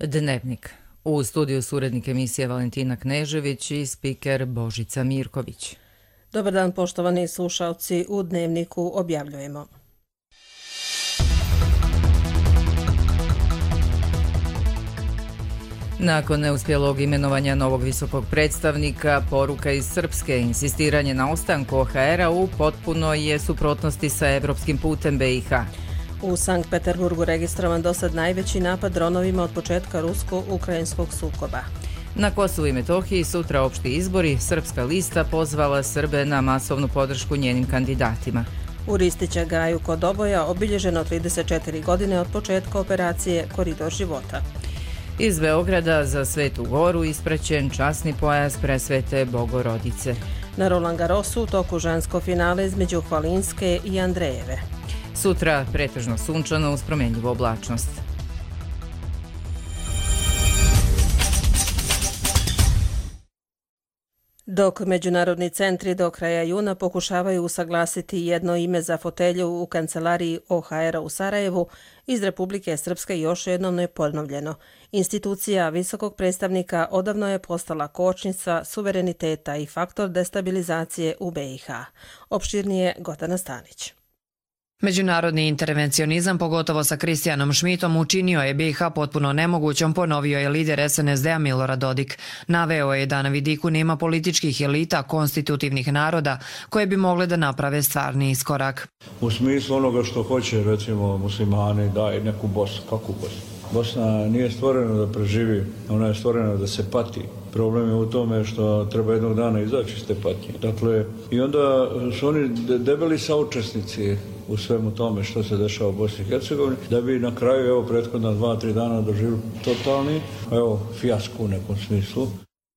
Dnevnik. U studiju su urednik emisije Valentina Knežević i spiker Božica Mirković. Dobar dan, poštovani slušalci, u Dnevniku objavljujemo. Nakon neuspjelog imenovanja novog visokog predstavnika, poruka iz Srpske, insistiranje na ostanku OHR-a u potpunoj je suprotnosti sa evropskim putem BiH. U Sankt Peterburgu registrovan dosad najveći napad dronovima od početka rusko-ukrajinskog sukoba. Na Kosovu i Metohiji sutra opšti izbori, Srpska lista pozvala Srbe na masovnu podršku njenim kandidatima. U Ristića Gaju kod Oboja obilježeno 34 godine od početka operacije Koridor života. Iz Beograda za Svetu Goru ispraćen časni pojas presvete Bogorodice. Na Roland Garrosu u toku žensko finale između Hvalinske i Andrejeve. Sutra pretežno sunčano uz promjenjivu oblačnost. Dok međunarodni centri do kraja juna pokušavaju usaglasiti jedno ime za fotelju u kancelariji OHR-a u Sarajevu, iz Republike Srpske još jednom je ponovljeno. Institucija visokog predstavnika odavno je postala kočnica suvereniteta i faktor destabilizacije u BiH. Opširnije Gordana Stanić. Međunarodni intervencionizam, pogotovo sa Kristijanom Šmitom, učinio je BiH potpuno nemogućom, ponovio je lider SNSD-a Milorad Dodik. Naveo je da na vidiku nema političkih elita, konstitutivnih naroda, koje bi mogle da naprave stvarni iskorak. U smislu onoga što hoće, recimo, muslimani, daj neku Bosnu. Kakvu Bosnu? Bosna nije stvorena da preživi, ona je stvorena da se pati. Problem je u tome što treba jednog dana izaći iz te patnje. Dakle, i onda su oni debeli saučesnici u svemu tome što se dešava u Bosni i Hercegovini, da bi na kraju, evo, prethodna 2-3 dana doživili totalni, fijasko u nekom smislu.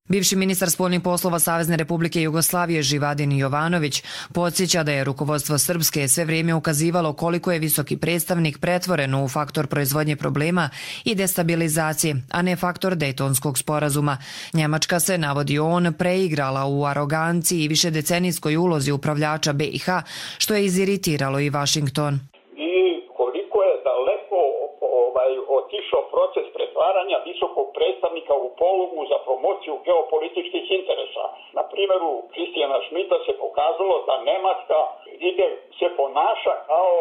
Bivši ministar spoljnih poslova Savezne Republike Jugoslavije Živadin Jovanović podsjeća da je rukovodstvo Srpske sve vrijeme ukazivalo koliko je visoki predstavnik pretvoren u faktor proizvodnje problema i destabilizacije, a ne faktor Dejtonskog sporazuma. Njemačka se, navodi on, preigrala u aroganciji i višedecenijskoj ulozi upravljača BiH, što je iziritiralo i Vašington. I koliko je daleko otišao proces pretvaranja visokog predstavnika u polugu za promociju geopolitičkih interesa. Na primjeru Kristijana Šmita se pokazalo da Nemačka se ponaša kao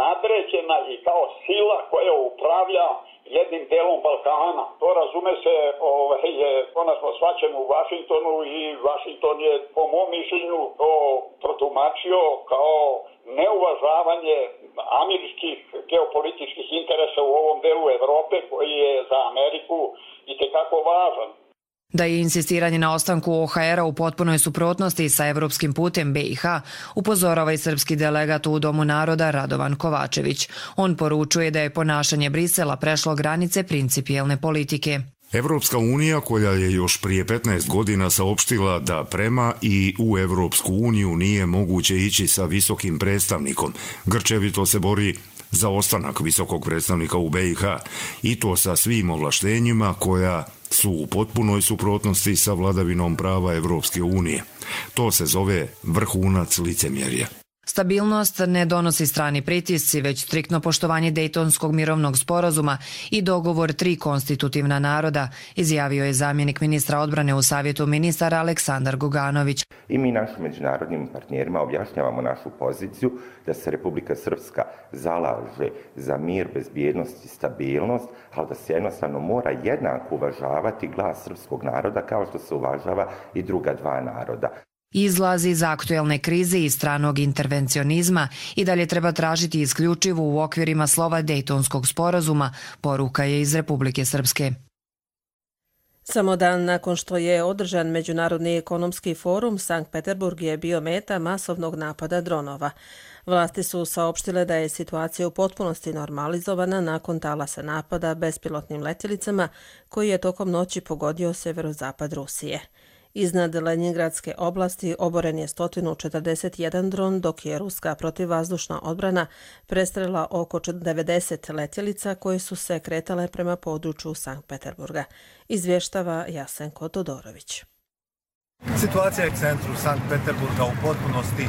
nadređena i kao sila koja upravlja jednim delom Balkana. To razume se je konačno shvaćeno u Vašingtonu i Vašington je po mom mišljenju to protumačio kao neuvažavanje američkih geopolitičkih interesa u ovom delu Evrope koji je za Ameriku itekako važan. Da je insistiranje na ostanku OHR-a u potpunoj suprotnosti sa evropskim putem BiH, upozorava i srpski delegat u Domu naroda Radovan Kovačević. On poručuje da je ponašanje Brisela prešlo granice principijelne politike. Evropska unija, koja je još prije 15 godina saopštila da prema i u Evropsku uniju nije moguće ići sa visokim predstavnikom, grčevito se bori za ostanak visokog predstavnika u BiH i to sa svim ovlaštenjima koja su u potpunoj suprotnosti sa vladavinom prava Evropske unije. To se zove vrhunac licemjerja. Stabilnost ne donosi strani pritisci, već striktno poštovanje Dejtonskog mirovnog sporazuma i dogovor 3 konstitutivna naroda, izjavio je zamjenik ministra odbrane u Savjetu ministara Aleksandar Guganović. I mi našim međunarodnim partnerima objašnjavamo našu poziciju da se Republika Srpska zalaže za mir, bezbjednost i stabilnost, ali da se jednostavno mora jednako uvažavati glas srpskog naroda kao što se uvažava i druga 2 naroda. Izlazi iz aktuelne krize i stranog intervencionizma i dalje treba tražiti isključivo u okvirima slova Dejtonskog sporazuma, poruka je iz Republike Srpske. Samo dan nakon što je održan Međunarodni ekonomski forum, Sankt Peterburg je bio meta masovnog napada dronova. Vlasti su saopštile da je situacija u potpunosti normalizovana nakon talasa napada bespilotnim letjelicama koji je tokom noći pogodio severozapad Rusije. Iznad Lenjingradske oblasti oboren je 141 dron, dok je ruska protivvazdušna odbrana prestrela oko 90 letjelica koje su se kretale prema području Sankt Peterburga, izvještava Jasenko Todorović. Situacija je u centru Sankt Peterburga u potpunosti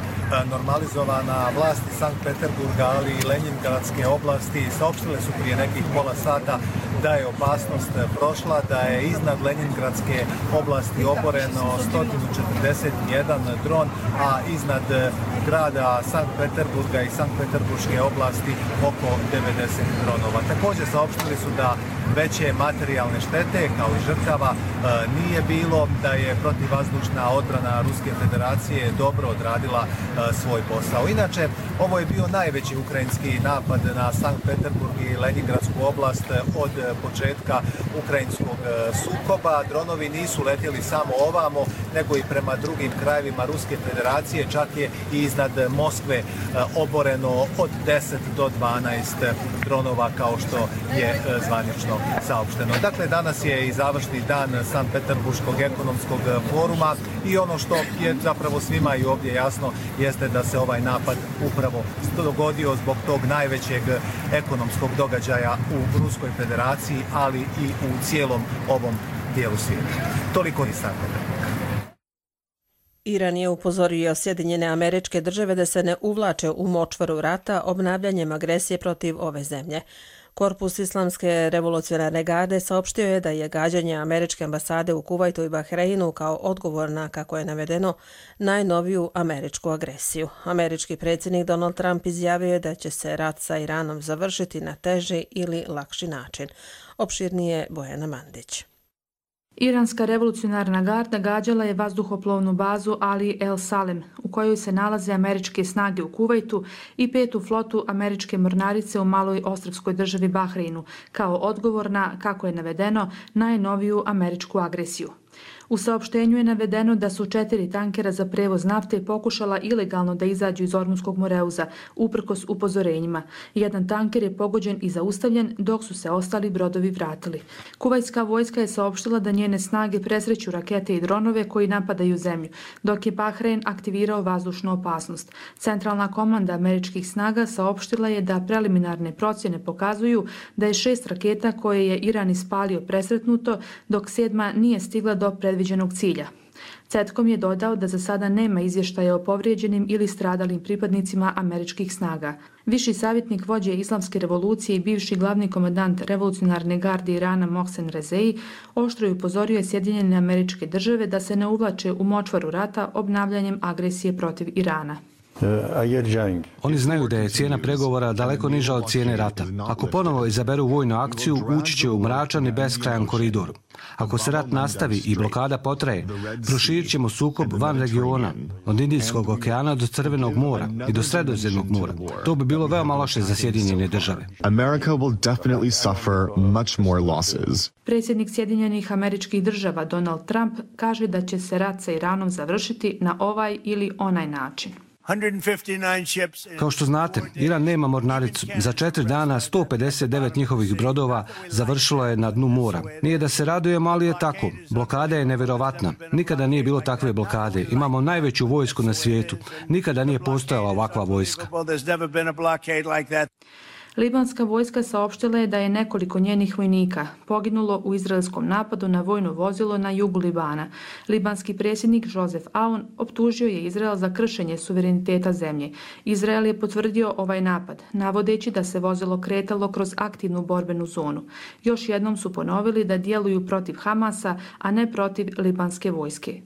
normalizovana. Vlasti Sankt Peterburga, ali i Lenjingradske oblasti saopštile su prije nekih pola sata da je opasnost prošla, da je iznad Leningradske oblasti oboreno 141 dron, a iznad grada Sankt Peterburga i Sankt Peterburške oblasti oko 90 dronova. Također saopštili su da veće materijalne štete kao i žrtava nije bilo, da je protivvazdušna odbrana Ruske federacije dobro odradila svoj posao. Inače, ovo je bio najveći ukrajinski napad na Sankt Peterburg i Leningradsku oblast od početka ukrajinskog sukoba. Dronovi nisu letjeli samo ovamo, nego i prema drugim krajevima Ruske federacije. Čak je i iznad Moskve oboreno od 10 do 12 dronova, kao što je zvanično saopšteno. Dakle, danas je i završni dan Sankt Peterburškog ekonomskog foruma i ono što je zapravo svima i ovdje jasno jeste da se ovaj napad upravo dogodio zbog tog najvećeg ekonomskog događaja u Ruskoj federaciji, ali i u cijelom ovom dijelu svijeta. Toliko iz Sankt Peterburga. Iran je upozorio Sjedinjene Američke Države da se ne uvlače u močvaru rata obnavljanjem agresije protiv ove zemlje. Korpus Islamske revolucionarne garde saopštio je da je gađanje američke ambasade u Kuvajtu i Bahreinu kao odgovor na, kako je navedeno, najnoviju američku agresiju. Američki predsjednik Donald Trump izjavio je da će se rat sa Iranom završiti na teži ili lakši način. Opširnije Bojana Mandić. Iranska revolucionarna garda gađala je vazduhoplovnu bazu Ali El Salem, u kojoj se nalaze američke snage u Kuvajtu i 5. flotu američke mornarice u maloj ostrvskoj državi Bahreinu, kao odgovor na, kako je navedeno, najnoviju američku agresiju. U saopštenju je navedeno da su 4 tankera za prevoz nafte pokušala ilegalno da izađu iz Ormunskog Moreuza, uprkos upozorenjima. Jedan tanker je pogođen i zaustavljen, dok su se ostali brodovi vratili. Kuvajtska vojska je saopštila da njene snage presreću rakete i dronove koji napadaju zemlju, dok je Bahrein aktivirao vazdušnu opasnost. Centralna komanda američkih snaga saopštila je da preliminarne procjene pokazuju da je 6 raketa koje je Iran ispalio presretnuto, dok 7. nije stigla do predviđenog cilja. CENTCOM je dodao da za sada nema izvještaja o povrijeđenim ili stradalim pripadnicima američkih snaga. Viši savjetnik vođe Islamske revolucije i bivši glavni komandant revolucionarne garde Irana Mohsen Rezei oštro je upozorio Sjedinjene Američke Države da se ne uvlače u močvaru rata obnavljanjem agresije protiv Irana. Oni znaju da je cijena pregovora daleko niža od cijene rata. Ako ponovo izaberu vojnu akciju, ući će u mračan i beskrajan koridor. Ako se rat nastavi i blokada potraje, proširit ćemo sukob van regiona, od Indijskog okeana do Crvenog mora i do Sredozemnog mora. To bi bilo veoma loše za Sjedinjene Države. Predsjednik Sjedinjenih Američkih Država Donald Trump kaže da će se rat sa Iranom završiti na ovaj ili onaj način. Kao što znate, Iran nema mornaricu. Za 4 dana 159 njihovih brodova završilo je na dnu mora. Nije da se radujemo, ali je tako. Blokada je nevjerovatna. Nikada nije bilo takve blokade. Imamo najveću vojsku na svijetu. Nikada nije postojala ovakva vojska. Libanska vojska saopštila je da je nekoliko njenih vojnika poginulo u izraelskom napadu na vojno vozilo na jugu Libana. Libanski predsjednik Joseph Aoun optužio je Izrael za kršenje suvereniteta zemlje. Izrael je potvrdio ovaj napad, navodeći da se vozilo kretalo kroz aktivnu borbenu zonu. Još jednom su ponovili da djeluju protiv Hamasa, a ne protiv libanske vojske.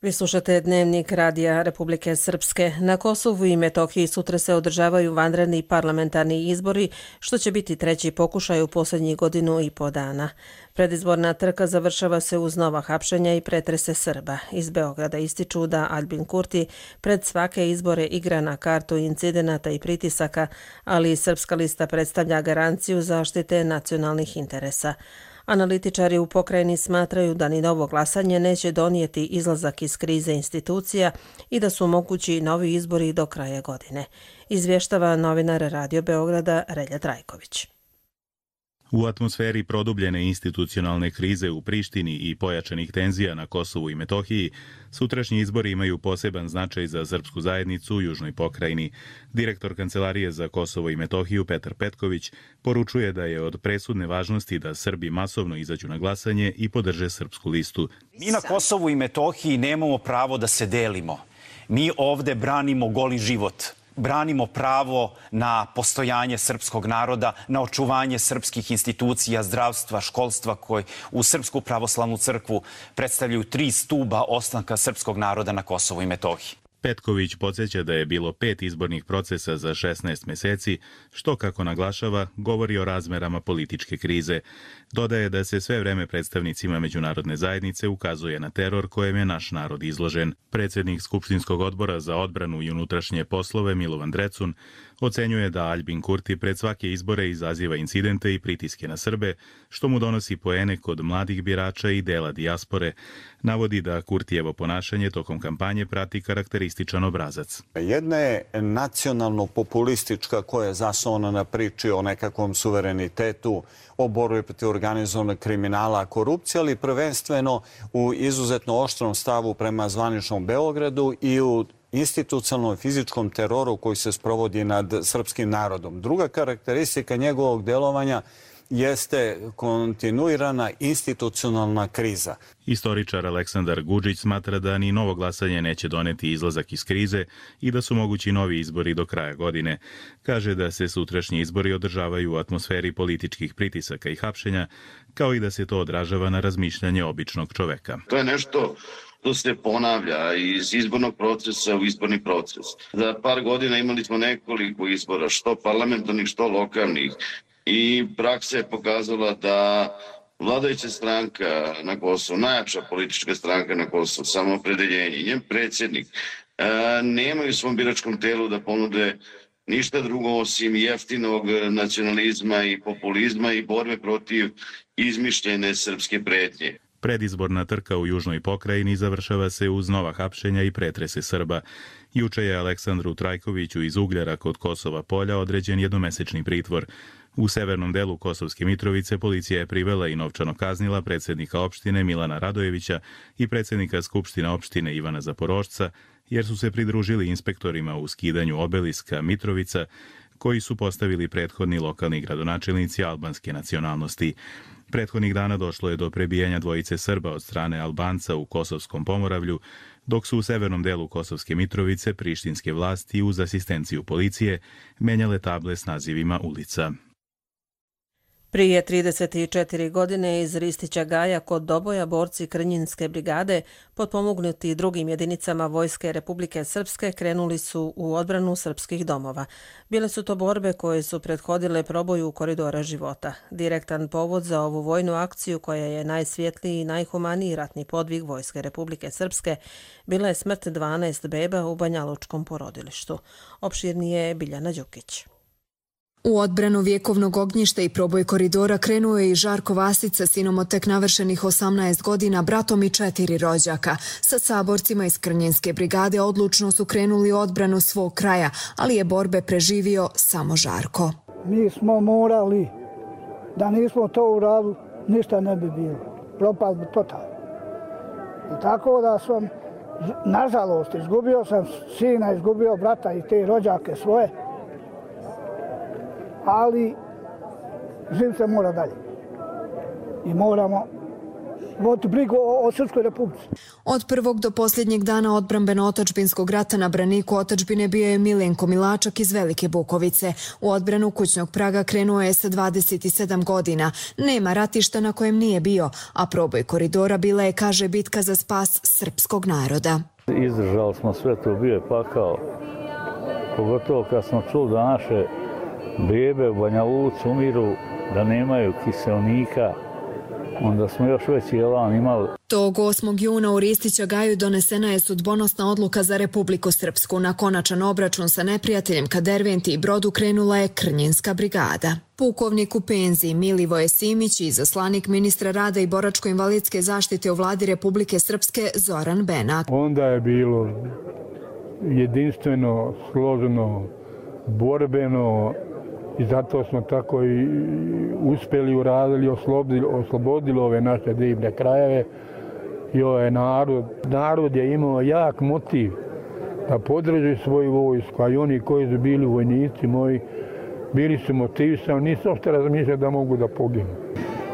Vi slušate Dnevnik Radija Republike Srpske. Na Kosovu i Metohiji sutra se održavaju vanredni parlamentarni izbori, što će biti 3. pokušaj u posljednjih 1.5 godina dana. Predizborna trka završava se uz nova hapšenja i pretrese Srba. Iz Beograda ističu da Albin Kurti pred svake izbore igra na kartu incidenata i pritisaka, ali i Srpska lista predstavlja garanciju zaštite nacionalnih interesa. Analitičari u pokrajini smatraju da ni novo glasanje neće donijeti izlazak iz krize institucija i da su mogući novi izbori do kraja godine. Izvještava novinar Radio Beograda Relja Trajković. U atmosferi produbljene institucionalne krize u Prištini i pojačanih tenzija na Kosovu i Metohiji, sutrašnji izbori imaju poseban značaj za srpsku zajednicu u južnoj pokrajini. Direktor Kancelarije za Kosovo i Metohiju Petar Petković poručuje da je od presudne važnosti da Srbi masovno izađu na glasanje i podrže srpsku listu. Mi na Kosovu i Metohiji nemamo pravo da se delimo. Mi ovde branimo goli život. branimo pravo na postojanje srpskog naroda, na očuvanje srpskih institucija, zdravstva, školstva koji u Srpsku pravoslavnu crkvu predstavljaju 3 stuba ostanka srpskog naroda na Kosovu i Metohiji. Petković podsjeća da je bilo 5 izbornih procesa za 16 meseci, što, kako naglašava, govori o razmerama političke krize. Dodaje da se sve vreme predstavnicima međunarodne zajednice ukazuje na teror kojem je naš narod izložen. Predsjednik Skupštinskog odbora za odbranu i unutrašnje poslove Milovan Drecun ocenjuje da Aljbin Kurti pred svake izbore izaziva incidente i pritiske na Srbe, što mu donosi poene kod mladih birača i dela dijaspore. Navodi da Kurtijevo ponašanje tokom kampanje prati karakterističan obrazac. Jedna je nacionalno-populistička koja je zasnovana na priči o nekakvom suverenitetu, o borbi protiv organizovanog kriminala, korupcije, ali prvenstveno u izuzetno oštrom stavu prema zvaničnom Beogradu i u institucionalnom fizičkom teroru koji se sprovodi nad srpskim narodom. Druga karakteristika njegovog delovanja jeste kontinuirana institucionalna kriza. Istoričar Aleksandar Gudžić smatra da ni novo glasanje neće doneti izlazak iz krize i da su mogući novi izbori do kraja godine. Kaže da se sutrašnji izbori održavaju u atmosferi političkih pritisaka i hapšenja, kao i da se to odražava na razmišljanje običnog čoveka. To je nešto to se ponavlja iz izbornog procesa u izborni proces. Za par godina imali smo nekoliko izbora, što parlamentarnih, što lokalnih. I praksa je pokazala da vladajuća stranka na Kosovu, najjača politička stranka na Kosovu, Samoopredeljenje, njen predsjednik, nemaju u svom biračkom telu da ponude ništa drugo osim jeftinog nacionalizma i populizma i borbe protiv izmišljene srpske pretnje. Predizborna trka u južnoj pokrajini završava se uz nova hapšenja i pretrese Srba. Juče je Aleksandru Trajkoviću iz Ugljara kod Kosova Polja određen jednomesečni pritvor. U severnom delu Kosovske Mitrovice policija je privela i novčano kaznila predsjednika opštine Milana Radojevića i predsjednika Skupštine opštine Ivana Zaporošca, jer su se pridružili inspektorima u skidanju obeliska Mitrovica, koji su postavili prethodni lokalni gradonačelnici albanske nacionalnosti. Prethodnih dana došlo je do prebijanja dvojice Srba od strane Albanca u Kosovskom Pomoravlju, dok su u severnom delu Kosovske Mitrovice prištinske vlasti uz asistenciju policije menjale table s nazivima ulica. Prije 34 godine iz Ristića Gaja kod Doboja borci Krnjinske brigade, potpomognuti drugim jedinicama Vojske Republike Srpske, krenuli su u odbranu srpskih domova. Bile su to borbe koje su prethodile proboju koridora života. Direktan povod za ovu vojnu akciju, koja je najsvjetliji i najhumaniji ratni podvig Vojske Republike Srpske, bila je smrt 12 beba u Banjalučkom porodilištu. Opširnije je Biljana Đukić. U odbranu vjekovnog ognjišta i proboj koridora krenuo je i Žarko Vasica, sinom od tek navršenih 18 godina, bratom i 4 rođaka. Sa saborcima iz Krnjinske brigade odlučno su krenuli u odbranu svog kraja, ali je borbe preživio samo Žarko. Mi smo morali, da nismo to uradili, ništa ne bi bilo. Propad bi totalno. I tako da sam, nažalost, izgubio sam sina, izgubio brata i te rođake svoje, ali život se mora dalje. I moramo voditi brigu o Srpskoj Republici. Od prvog do posljednjeg dana odbrambeno-otačbinskog rata na braniku otačbine bio je Milenko Milačak iz Velike Bukovice. U odbranu kućnog praga krenuo je sa 27 godina. Nema ratišta na kojem nije bio, a proboj koridora bila je, kaže, bitka za spas srpskog naroda. Izdržali smo sve to, bio je pakao. Pogotovo kad smo čuli da naše bebe u Banja Luci umiru, da nemaju kiselnika, onda smo još veći elan imali. Tog 8. juna u Ristića Gaju donesena je sudbonosna odluka za Republiku Srpsku. Na konačan obračun sa neprijateljem ka Derventi i Brodu krenula je Krnjinska brigada. Pukovnik u penziji Milivoje Simić i izaslanik ministra rada i boračko-invalidske zaštite u vladi Republike Srpske Zoran Benak. Onda je bilo jedinstveno, složeno, borbeno, i zato smo tako i uspjeli, uradili, oslobodili ove naše divne krajeve i ovaj narod. Narod je imao jak motiv da podrži svoju vojsku, a i oni koji su bili vojnici moji bili su motivisani, nisu uopšte razmišljali da mogu da poginu.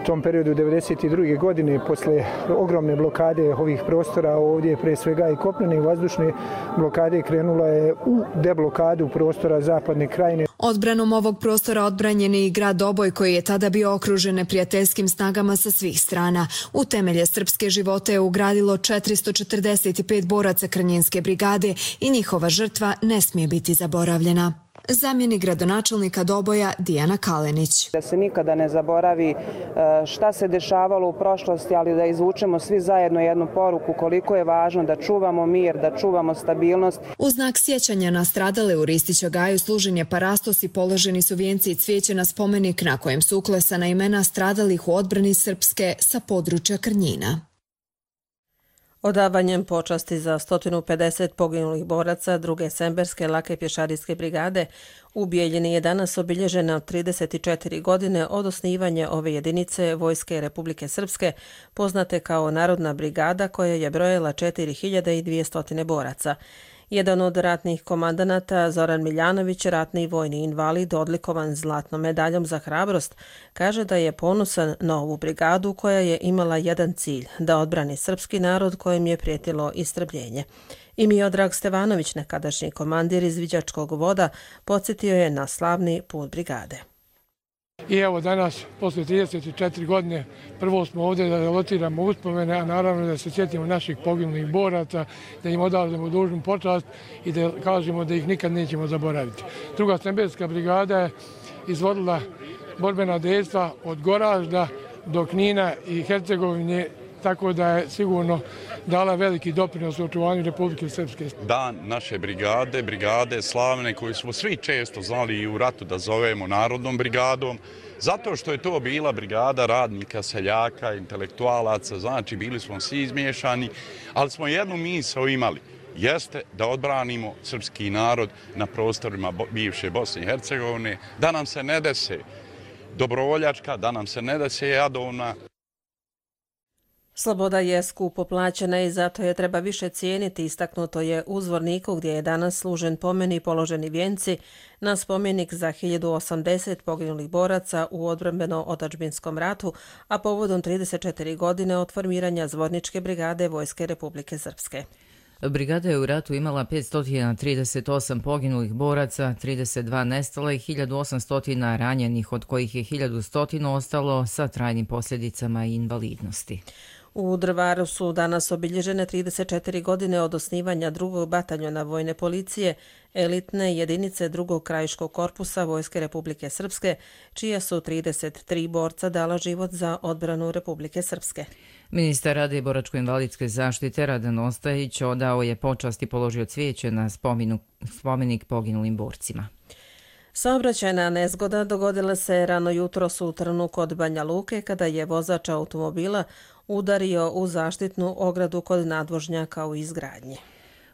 tom periodu 1992. godine, posle ogromne blokade ovih prostora ovdje, pre svega i kopnene i vazdušne blokade, krenula je u deblokadu prostora Zapadne Krajine. Odbranom ovog prostora odbranjen je i grad Doboj, koji je tada bio okružen neprijateljskim snagama sa svih strana. U temelje srpske živote je ugradilo 445 boraca Krnjenske brigade i njihova žrtva ne smije biti zaboravljena. Zamjenik gradonačelnika Doboja Dijana Kalenić. Da se nikada ne zaboravi šta se dešavalo u prošlosti, ali da izvučemo svi zajedno jednu poruku koliko je važno da čuvamo mir, da čuvamo stabilnost. U znak sjećanja na stradale u Ristiću gaju služen je parastos i položeni su vijenci i cvijeće na spomenik na kojem su uklesana imena stradalih u odbrani Srpske sa područja Krnjina. Odavanjem počasti za 150 poginulih boraca druge Semberske lake pješadijske brigade u Bijeljini je danas obilježena 34 godine od osnivanja ove jedinice Vojske Republike Srpske, poznate kao Narodna brigada, koja je brojila 4200 boraca. Jedan od ratnih komandanata, Zoran Miljanović, ratni vojni invalid, odlikovan zlatnom medaljom za hrabrost, kaže da je ponosan na ovu brigadu koja je imala jedan cilj, da odbrani srpski narod kojem je prijetilo istrebljenje. I Miodrag Stevanović, nekadašnji komandir izviđačkog voda, podsjetio je na slavni put brigade. I evo danas, posle 34 godine, prvo smo ovdje da lotiramo uspomene, a naravno da se sjetimo naših poginulih boraca, da im odavljamo dužnu počast i da kažemo da ih nikad nećemo zaboraviti. Druga Semberska brigada je izvodila borbena dejstva od Goražda do Knina i Hercegovine, tako da je sigurno dala veliki doprinos u očuvanju Republike Srpske. Dan naše brigade, brigade slavne koju smo svi često znali i u ratu da zovemo Narodnom brigadom, zato što je to bila brigada radnika, seljaka, intelektualaca, znači bili smo svi izmiješani, ali smo jednu misao imali, jeste da odbranimo srpski narod na prostorima bivše Bosne i Hercegovine, da nam se ne dese dobrovoljačka, da nam se ne dese jadovna. Sloboda je skupo plaćena i zato je treba više cijeniti, istaknuto je u Zvorniku, gdje je danas služen pomen i položeni vijenci na spomenik za 1080 poginulih boraca u odbrambeno-otadžbinskom ratu, a povodom 34 godine od formiranja Zvorničke brigade Vojske Republike Srpske. Brigada je u ratu imala 538 poginulih boraca, 32 nestala i 1800 ranjenih, od kojih je 1100 ostalo sa trajnim posljedicama i invalidnosti. U Drvaru su danas obilježene 34 godine od osnivanja drugog bataljona vojne policije, elitne jedinice drugog krajiškog korpusa Vojske Republike Srpske, čija su 33 borca dala život za odbranu Republike Srpske. Ministar rada i boračko-invalidske zaštite Radan Ostajić odao je počast i položio cvijeće na spomenik poginulim borcima. Saobraćajna nezgoda dogodila se rano jutros u Trnu kod Banja Luke, kada je vozač automobila udario u zaštitnu ogradu kod nadvožnjaka u izgradnji.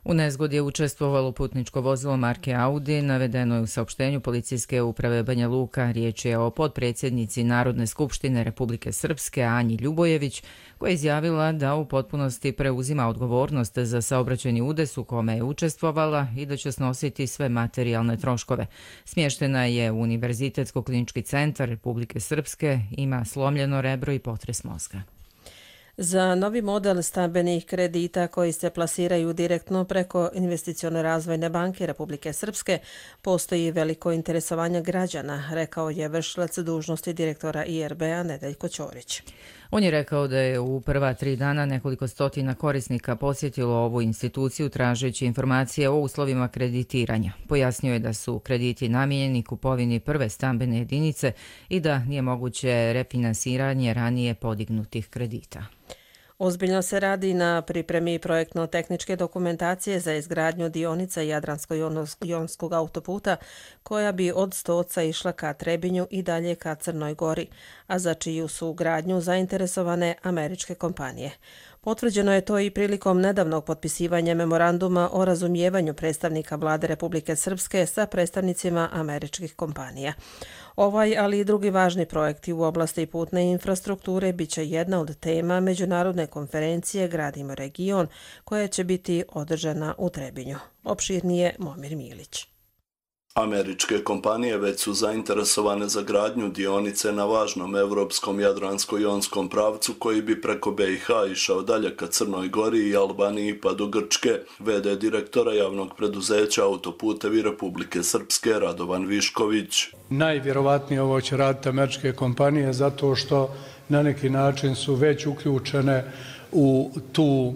U nezgodi je učestvovalo putničko vozilo marke Audi, navedeno je u saopštenju Policijske uprave Banja Luka. Riječ je o potpredsjednici Narodne skupštine Republike Srpske Anji Ljubojević, koja je izjavila da u potpunosti preuzima odgovornost za saobraćajni udes u kome je učestvovala i da će snositi sve materijalne troškove. Smještena je u Univerzitetsko-klinički centar Republike Srpske, ima slomljeno rebro i potres mozga. Za novi model stambenih kredita koji se plasiraju direktno preko Investicione razvojne banke Republike Srpske postoji veliko interesovanje građana, rekao je vršilac dužnosti direktora IRB-a Nedeljko Ćorić. On je rekao da je u prva 3 dana nekoliko stotina korisnika posjetilo ovu instituciju tražeći informacije o uslovima kreditiranja. Pojasnio je da su krediti namijenjeni kupovini prve stambene jedinice i da nije moguće refinansiranje ranije podignutih kredita. Ozbiljno se radi na pripremi projektno-tehničke dokumentacije za izgradnju dionica Jadransko-jonskog autoputa, koja bi od Stoca išla ka Trebinju i dalje ka Crnoj Gori, a za čiju su gradnju zainteresovane američke kompanije. Potvrđeno je to i prilikom nedavnog potpisivanja memoranduma o razumijevanju predstavnika Vlade Republike Srpske sa predstavnicima američkih kompanija. Ovaj, ali i drugi važni projekti u oblasti putne infrastrukture biće jedna od tema međunarodne konferencije Gradimo region, koja će biti održana u Trebinju. Opširnije Momir Milić. Američke kompanije već su zainteresovane za gradnju dionice na važnom evropskom jadransko-jonskom pravcu koji bi preko BiH išao dalje ka Crnoj Gori i Albaniji pa do Grčke. VD direktora javnog preduzeća Autoputevi Republike Srpske Radovan Višković. Najvjerovatnije ovo će raditi američke kompanije zato što na neki način su već uključene u tu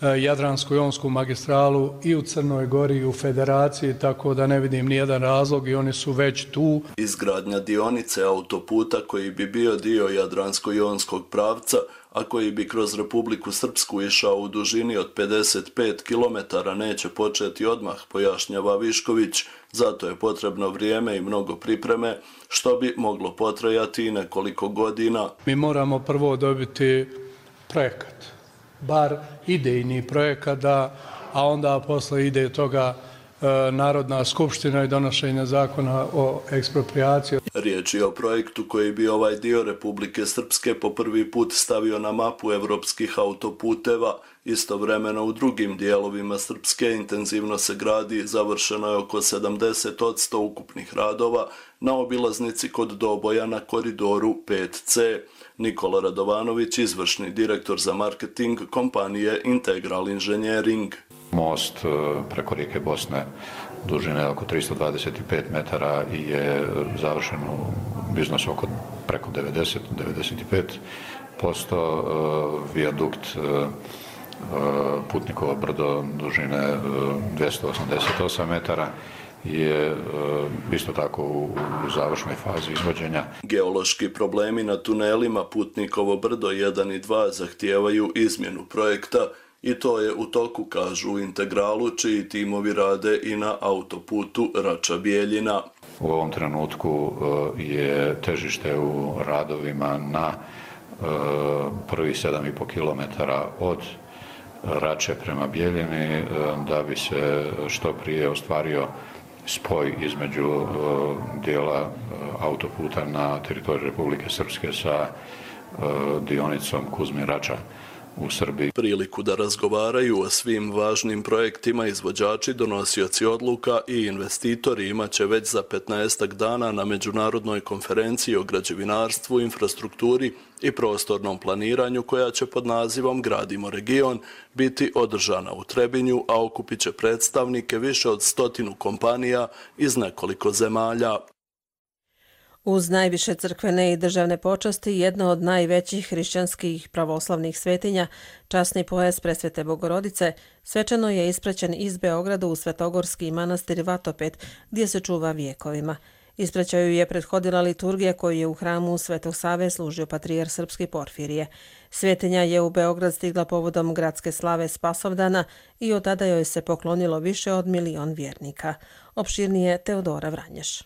Jadransko-jonsku magistralu i u Crnoj Gori i u Federaciji, tako da ne vidim nijedan razlog i oni su već tu. Izgradnja dionice autoputa koji bi bio dio Jadransko-jonskog pravca, a koji bi kroz Republiku Srpsku išao u dužini od 55 km neće početi odmah, pojašnjava Višković. Zato je potrebno vrijeme i mnogo pripreme, što bi moglo potrajati i nekoliko godina. Mi moramo prvo dobiti projekat, bar idejni projekat, a onda posle ide toga Narodna skupština i donošenje zakona o eksproprijaciji. Riječ je o projektu koji bi ovaj dio Republike Srpske po prvi put stavio na mapu evropskih autoputeva. Istovremeno u drugim dijelovima Srpske intenzivno se gradi, završeno je oko 70% ukupnih radova na obilaznici kod Doboja na koridoru 5C. Nikola Radovanović, izvršni direktor za marketing kompanije Integral Engineering. Most preko rijeke Bosne dužine oko 325 metara i je završen u iznosu oko preko 90-95%. Vijadukt Putnikovo brdo dužine 288 metara je isto tako u završnoj fazi izvođenja. Geološki problemi na tunelima Putnikovo brdo 1 i 2 zahtijevaju izmjenu projekta i to je u toku, kažu u Integralu, čiji timovi rade i na autoputu Rača-Bijeljina. U ovom trenutku je težište u radovima na prvih 7,5 km od Rače prema Bijeljini da bi se što prije ostvario spoj između dijela autoputa na teritoriju Republike Srpske sa dionicom Kuzmin-Rača u Srbiji. Priliku da razgovaraju o svim važnim projektima izvođači, donosioci odluka i investitori imaće već za 15 dana na međunarodnoj konferenciji o građevinarstvu, infrastrukturi i prostornom planiranju koja će pod nazivom Gradimo region biti održana u Trebinju, a okupit će predstavnike više od 100 kompanija iz nekoliko zemalja. Uz najviše crkvene i državne počasti, jedna od najvećih hrišćanskih pravoslavnih svetinja, časni pojas Presvete Bogorodice, svečano je ispraćen iz Beograda u Svetogorski manastir Vatopet, gdje se čuva vijekovima. Ispraćaju je prethodila liturgija koju je u hramu Svetog Save služio patrijar srpski Porfirije. Svetinja je u Beograd stigla povodom gradske slave Spasovdana i od tada joj se poklonilo više od 1 milion vjernika. Opširnije Teodora Vranješ.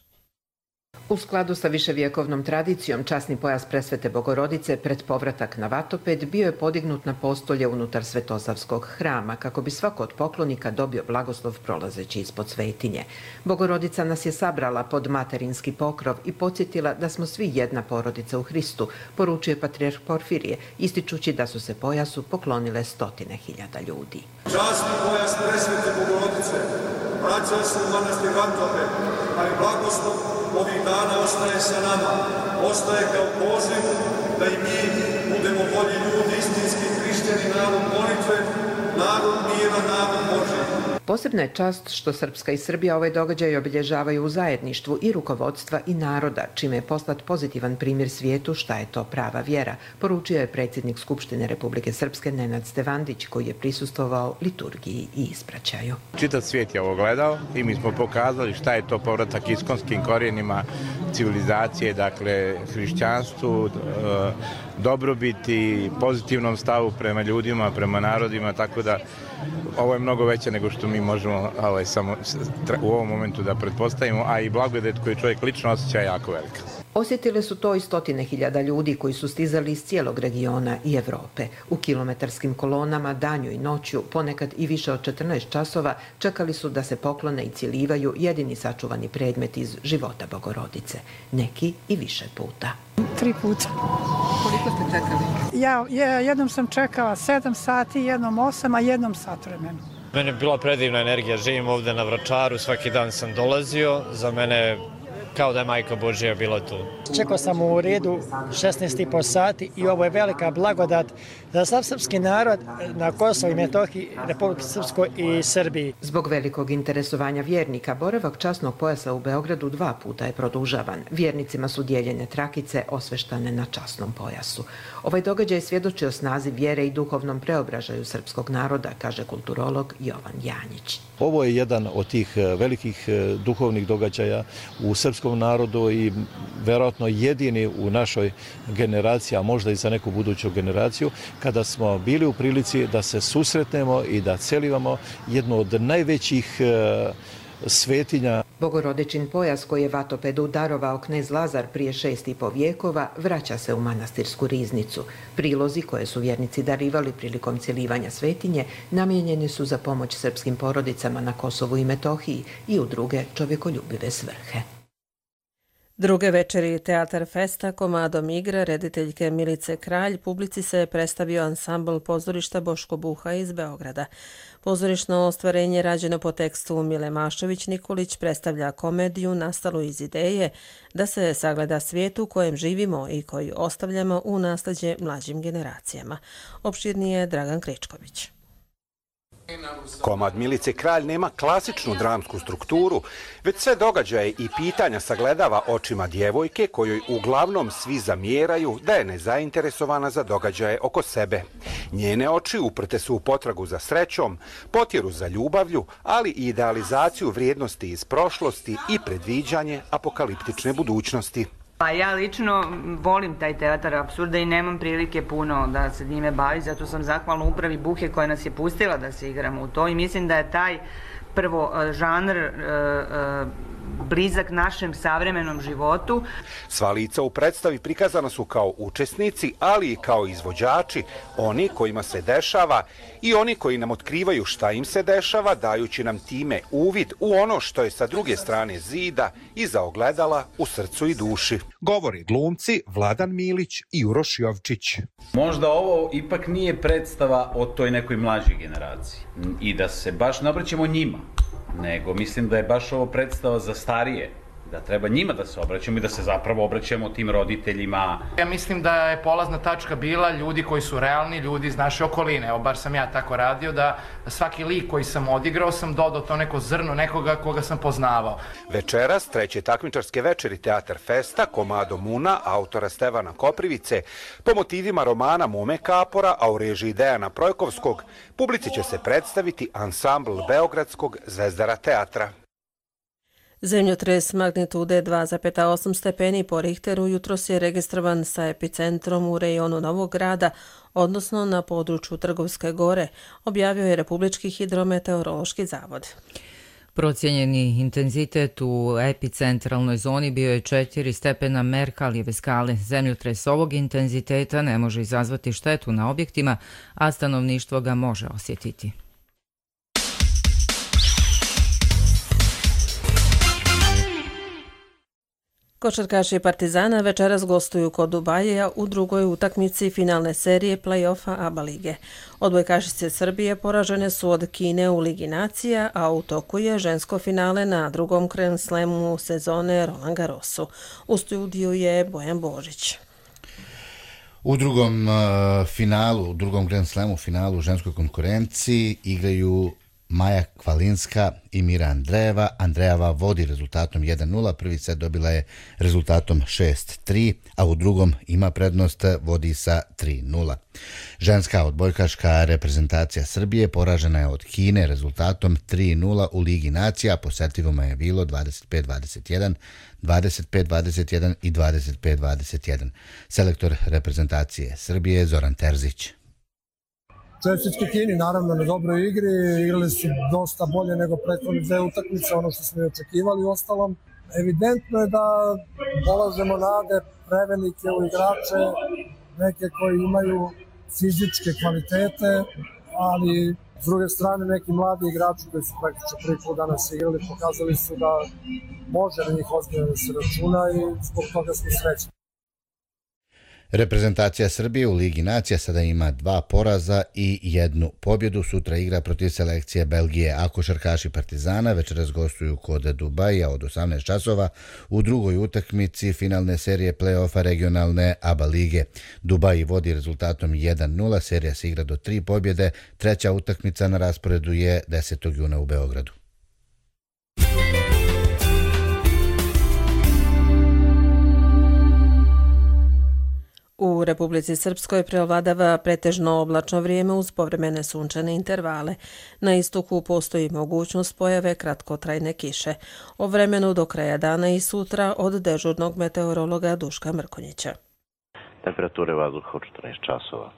U skladu sa viševjekovnom tradicijom, časni pojas Presvete Bogorodice pred povratak na Vatoped bio je podignut na postolje unutar Svetosavskog hrama kako bi svako od poklonika dobio blagoslov prolazeći ispod svetinje. Bogorodica nas je sabrala pod materinski pokrov i podsjetila da smo svi jedna porodica u Hristu, poručuje patrijarh Porfirije, ističući da su se pojasu poklonile 100.000 ljudi. Časni pojas Presvete Bogorodice vraća se u manastir Vatoped, a i blagoslov ovih dana ostaje sa nama, ostaje kao poziv da i mi budemo bolji ljudi, istinski hrišćani, narod molitve, narod mira, narod Božji. Posebna je čast što Srpska i Srbija ovaj događaj obilježavaju u zajedništvu i rukovodstva i naroda, čime je poslat pozitivan primjer svijetu šta je to prava vjera, poručio je predsjednik Skupštine Republike Srpske Nenad Stevandić, koji je prisustvovao liturgiji i ispraćaju. Čitav svijet je ovo gledao i mi smo pokazali šta je to povratak iskonskim korijenima civilizacije, dakle hrišćanstvu, dobrobiti, pozitivnom stavu prema ljudima, prema narodima, tako da ovo je mnogo veće nego što mi možemo samo u ovom momentu da pretpostavimo, a i blagodat koju čovjek lično osjeća je jako velika. Osjetile su to i 100.000 ljudi koji su stizali iz cijelog regiona i Evrope. U kilometarskim kolonama danju i noću, ponekad i više od 14 časova, čekali su da se poklone i cijelivaju jedini sačuvani predmet iz života Bogorodice. Neki i više puta. 3 puta. Koliko ste čekali? Ja jednom sam čekala 7 sati, jednom 8, a jednom sat vremena. Meni je bila predivna energija, živim ovde na Vračaru, svaki dan sam dolazio, za mene kao da je Majka Božija bila tu. Čekao sam u redu 16,5 sati i ovo je velika blagodat za sav srpski narod na Kosovu i Metohiji, Republike Srpskoj i Srbiji. Zbog velikog interesovanja vjernika, boravak časnog pojasa u Beogradu 2 puta je produžavan. Vjernicima su dijeljene trakice osveštane na časnom pojasu. Ovaj događaj svjedoči o snazi vjere i duhovnom preobražaju srpskog naroda, kaže kulturolog Jovan Janjić. Ovo je jedan od tih velikih duhovnih događaja u srpskom narodu i verovatno jedini u našoj generaciji, a možda i za neku buduću generaciju, kada smo bili u prilici da se susretnemo i da celivamo jednu od najvećih svetinja. Bogorodičin pojas koji je Vatopedu darovao knez Lazar prije 6,5 vijekova vraća se u manastirsku riznicu. Prilozi koje su vjernici darivali prilikom cjelivanja svetinje namijenjeni su za pomoć srpskim porodicama na Kosovu i Metohiji i u druge čovjekoljubive svrhe. Druge večeri Teatar Festa komadom igre rediteljke Milice Kralj publici se predstavio ansambl pozorišta Boško Buha iz Beograda. Pozorišno ostvarenje rađeno po tekstu Mile Mašović-Nikolić predstavlja komediju nastalu iz ideje da se sagleda svijet u kojem živimo i koji ostavljamo u nasleđe mlađim generacijama. Opširnije Dragan Kričković. Komad Milice Kralj nema klasičnu dramsku strukturu, već sve događaje i pitanja sagledava očima djevojke kojoj uglavnom svi zamjeraju da je nezainteresovana za događaje oko sebe. Njene oči uprte su u potragu za srećom, potjeru za ljubavlju, ali i idealizaciju vrijednosti iz prošlosti i predviđanje apokaliptične budućnosti. Pa ja lično volim taj teatar apsurda i nemam prilike puno da se njime bavi, zato sam zahvalna upravi Buhe koja nas je pustila da se igramo u to i mislim da je taj prvo žanr blizak našem savremenom životu. Sva lica u predstavi prikazana su kao učesnici, ali i kao izvođači, oni kojima se dešava i oni koji nam otkrivaju šta im se dešava, dajući nam time uvid u ono što je sa druge strane zida iza ogledala u srcu i duši. Govori glumci Vladan Milić i Uroš Jovčić. Možda ovo ipak nije predstava o toj nekoj mlađoj generaciji i da se baš ne obraćamo njima, nego mislim da je baš ovo predstava za starije, da treba njima da se obraćamo i da se zapravo obraćamo tim roditeljima. Ja mislim da je polazna tačka bila ljudi koji su realni, ljudi iz naše okoline. Evo, bar sam ja tako radio, da svaki lik koji sam odigrao sam dodao to neko zrno nekoga koga sam poznavao. Večeras, treće takmičarske večeri Teatar Festa, komadom Muna, autora Stevana Koprivice, po motivima romana Mume Kapora, a u režiji Dejana Projkovskog, publici će se predstaviti ansambl Beogradskog Zvezdara teatra. Zemljotres magnitude 2,8 stepeni po Richteru jutros je registrovan sa epicentrom u rejonu Novog Grada, odnosno na području Trgovske gore, objavio je Republički hidrometeorološki zavod. Procijenjeni intenzitet u epicentralnoj zoni bio je 4 stepena Merkalijeve skale. Zemljotres ovog intenziteta ne može izazvati štetu na objektima, a stanovništvo ga može osjetiti. Košarkaši Partizana večeras gostuju kod Dubaija u drugoj utakmici finalne serije play-offa ABA lige. Odbojkašice Srbije poražene su od Kine u Ligi nacija, a u toku je žensko finale na drugom Grand Slamu sezone Roland Garrosu. U studiju je Bojan Božić. U drugom finalu, u drugom Grand Slamu finalu u ženskoj konkurenciji igraju Maja Kvalinska i Mira Andrejeva. Andrejeva vodi rezultatom 1-0, prvi set dobila je rezultatom 6-3, a u drugom ima prednost, vodi sa 3-0. Ženska odbojkaška reprezentacija Srbije poražena je od Kine rezultatom 3-0 u Ligi nacija, po setovima je bilo 25-21, 25-21 i 25-21. Selektor reprezentacije Srbije Zoran Terzić. Čestitke Kini, naravno, na dobroj igri, igrali su dosta bolje nego prethodne dve utakmice, ono što smo i očekivali. Ostalom, evidentno je da polažemo nade prevelike u igrače, neke koji imaju fizičke kvalitete, ali s druge strane neki mladi igrači koji su praktično prvi put danas igrali pokazali su da može na njih ozbiljno da se računa i zbog toga smo srećni. Reprezentacija Srbije u Ligi nacija sada ima 2 poraza i 1 pobjedu. Sutra igra protiv selekcije Belgije, a košarkaši Partizana večeras gostuju kod Dubaja od 18 časova u drugoj utakmici finalne serije play-offa regionalne ABA lige. Dubai vodi rezultatom 1-0, serija se igra do 3 pobjede, treća utakmica na rasporedu je 10. juna u Beogradu. U Republici Srpskoj prevladava pretežno oblačno vrijeme uz povremene sunčane intervale. Na istoku postoji mogućnost pojave kratkotrajne kiše. O vremenu do kraja dana i sutra od dežurnog meteorologa Duška Mrkonjića. Temperature vazduha u 14 časova.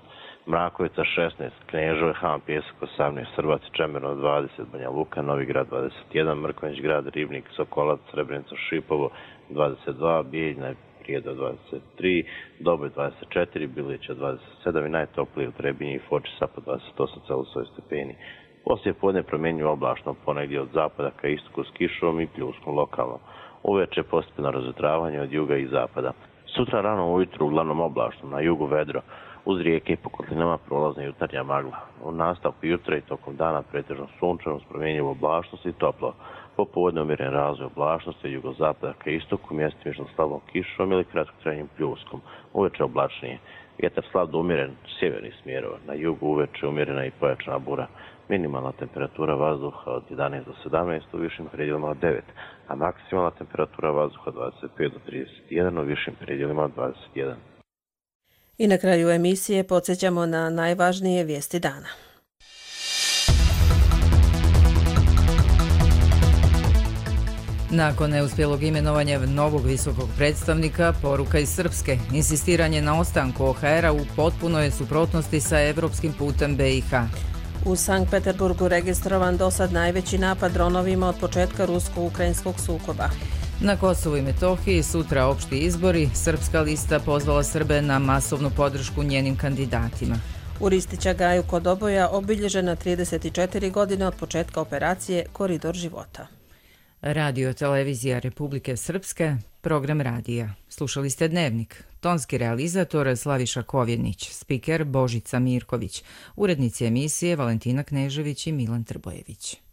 Mrakovica 16, Knežove, Han, Pjesak 18, Srbac, Čemerno 20, Banja Luka, Novi Grad 21, Mrkonjić grad, Ribnik, Sokolac, Srebrenica, Šipovo 22, Bijeljna, Prijedo 23, Doboj 24, Bilića 27 i najtoplije u Trebinji i Foči Sapa 28,8 stepeni. Poslije podne promjenjuju oblačno, ponegdje od zapada ka istoku s kišom i pljuskom lokalno. Uveče postepeno razvetravanje od juga i zapada. Sutra rano ujutru uglavnom oblačno, na jugu vedro, uz rijeke i po kotlinama prolazna jutarnja magla. U nastavku jutra i tokom dana pretežno sunčano s promjenjivom oblačnosti i toplo. Popodne umjeren razvoj oblačnosti od jugozapada ka istoku, mjestimično slabom kišom ili kratkotrajnim pljuskom. Uveče oblačnije. Vjetar slab do umjeren sjevernih smjerova. Na jugu uveče umjerena i pojačana bura. Minimalna temperatura vazduha od 11 do 17, u višim predjelima od 9, a maksimalna temperatura vazduha od 25 do 31, u višim predjelima od 21. I na kraju emisije podsjećamo na najvažnije vijesti dana. Nakon neuspjelog imenovanja novog visokog predstavnika, poruka iz Srpske, insistiranje na ostanku OHR-a u potpunoj je suprotnosti sa evropskim putem BiH. U Sankt Peterburgu registrovan dosad najveći napad dronovima od početka rusko-ukrajinskog sukoba. Na Kosovu i Metohiji sutra opšti izbori, Srpska lista pozvala Srbe na masovnu podršku njenim kandidatima. U Ristića Gaju kod Oboja obilježena 34 godine od početka operacije Koridor života. Radio televizija Republike Srpske, program radija. Slušali ste Dnevnik. Tonski realizator Slaviša Kovjenić, spiker Božica Mirković, urednici emisije Valentina Knežević i Milan Trbojević.